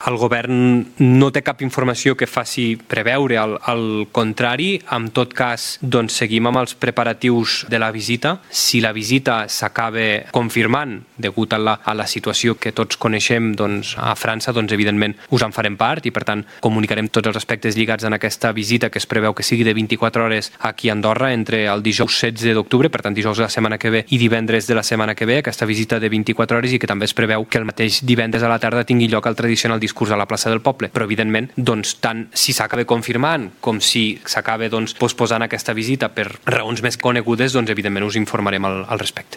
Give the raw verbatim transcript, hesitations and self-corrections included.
el govern no té cap informació que faci preveure el, el contrari. En tot cas, doncs, seguim amb els preparatius de la visita. Si la visita s'acaba confirmant degut a la, a la situació que tots coneixem doncs, a França, doncs, evidentment us en farem part i, per tant, comunicarem tots els aspectes lligats en aquesta visita que es preveu que sigui de vint-i-quatre hores aquí a Andorra entre el dijous setze d'octubre, per tant, dijous de la setmana que ve i divendres de la setmana que ve, aquesta visita de vint-i-quatre hores, i que també es preveu que el mateix divendres a la tarda tingui lloc el tradicional discurs a la plaça del poble. Però, evidentment, doncs, tant si s'acaba confirmant com si s'acaba doncs, posposant aquesta visita per raons més conegudes, doncs, evidentment us informarem al, al respecte.